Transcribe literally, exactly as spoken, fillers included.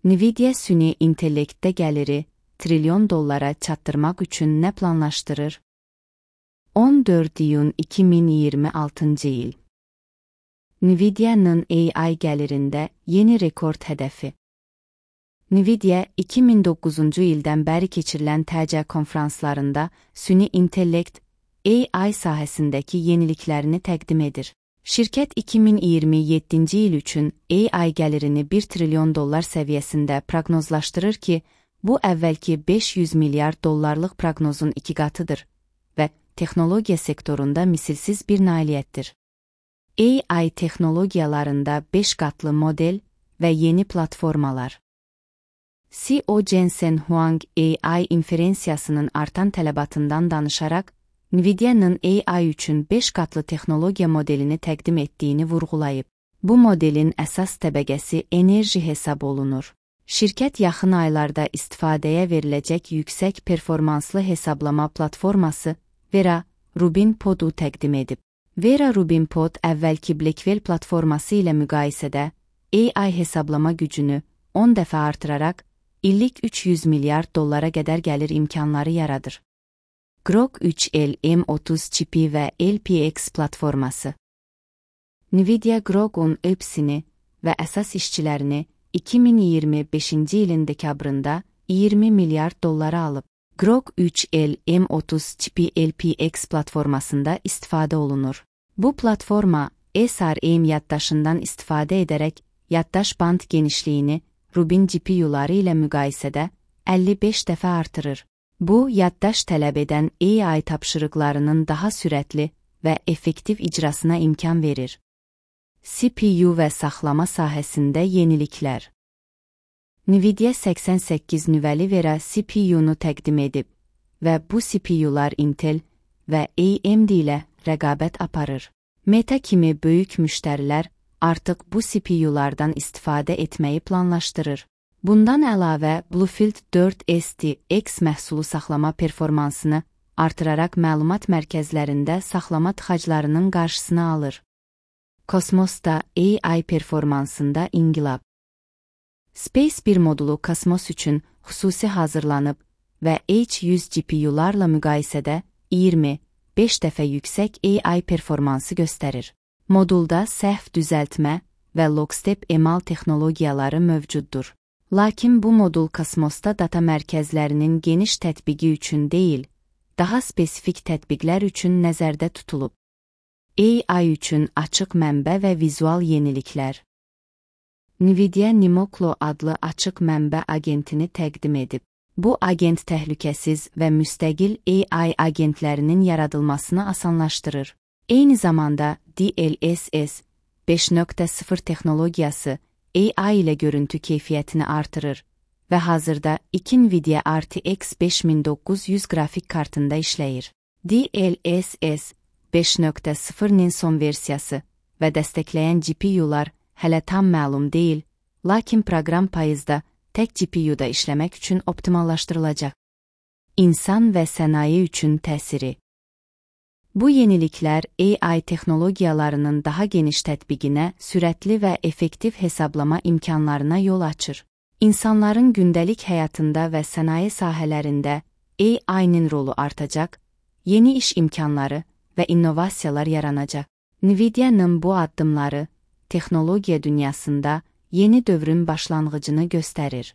Nvidia süni intellektdə gəliri trilyon dollara çatdırmaq üçün nə planlaşdırır? on dörd iyun iki min iyirmi altıncı il. Nvidia'nın A I gəlirində yeni rekord hədəfi. Nvidia iki min doqquzuncu ildən bəri keçirilən T C konferanslarında süni intellekt A I sahəsindəki yeniliklərini təqdim edir. Şirkət iki min iyirmi yeddinci il üçün A I gəlirini bir trilyon dollar səviyyəsində proqnozlaşdırır ki, bu əvvəlki beş yüz milyard dollarlıq proqnozun iki qatıdır və texnologiya sektorunda misilsiz bir nailiyyətdir. A I texnologiyalarında beş qatlı model və yeni platformalar. C E O Jensen Huang A I inferensiyasının artan tələbatından danışaraq, Nvidia'nın A I üçün beş qatlı texnologiya modelini təqdim etdiyini vurğulayıb. Bu modelin əsas təbəqəsi enerji hesab olunur. Şirkət yaxın aylarda istifadəyə veriləcək yüksək performanslı hesablama platforması Vera Rubin Pod-u təqdim edib. Vera Rubin Pod əvvəlki Blackwell platforması ilə müqayisədə A I hesablama gücünü on dəfə artıraraq illik üç yüz milyard dollara qədər gəlir imkanları yaradır. Grok üç L M otuz çipi və L P X platforması. Nvidia Grok'un ÖPS'ini və əsas işçilərini iki min iyirmi beşinci ilin dekabrında iyirmi milyard dollara alıb. Grok üç L M otuz çipi L P X platformasında istifadə olunur. Bu platforma S R M yaddaşından istifadə edərək yaddaş band genişliyini Rubin G P U'ları ilə müqayisədə əlli beş dəfə artırır. Bu, yaddaş tələb edən A I tapşırıqlarının daha sürətli və effektiv icrasına imkan verir. C P U və saxlama sahəsində yeniliklər. Nvidia səksən səkkiz nüvəli Vera C P U'nu təqdim edib və bu C P U'lar Intel və A M D ilə rəqabət aparır. Meta kimi böyük müştərilər artıq bu C P U'lardan istifadə etməyi planlaşdırır. Bundan əlavə, Bluefield dörd S T X məhsulu saxlama performansını artıraraq məlumat mərkəzlərində saxlama tıxaclarının qarşısını alır. Kosmosda A I performansında inqilab. Space bir modulu kosmos üçün xüsusi hazırlanıb və H yüz G P U'larla müqayisədə iyirmi beş dəfə yüksək A I performansı göstərir. Modulda səhv düzəltmə və lockstep emal texnologiyaları mövcuddur. Lakin bu modul kosmosda data mərkəzlərinin geniş tətbiqi üçün deyil, daha spesifik tətbiqlər üçün nəzərdə tutulub. A I üçün açıq mənbə və vizual yeniliklər. Nvidia Nimoklo adlı açıq mənbə agentini təqdim edib. Bu agent təhlükəsiz və müstəqil A I agentlərinin yaradılmasını asanlaşdırır. Eyni zamanda D L S S beş nöqtə sıfır texnologiyası A I ilə görüntü keyfiyyətini artırır və hazırda iki Nvidia R T X beş min doqquz yüz qrafik kartında işləyir. D L S S beş nöqtə sıfırın son versiyası və dəstəkləyən G P U'lar hələ tam məlum deyil, lakin proqram payızda tək G P U'da işləmək üçün optimallaşdırılacaq. İnsan və sənaye üçün təsiri. Bu yeniliklər A I texnologiyalarının daha geniş tətbiqinə, sürətli və effektiv hesablama imkanlarına yol açır. İnsanların gündəlik həyatında və sənaye sahələrində A I-nin rolu artacaq, yeni iş imkanları və innovasiyalar yaranacaq. Nvidia'nın bu addımları texnologiya dünyasında yeni dövrün başlanğıcını göstərir.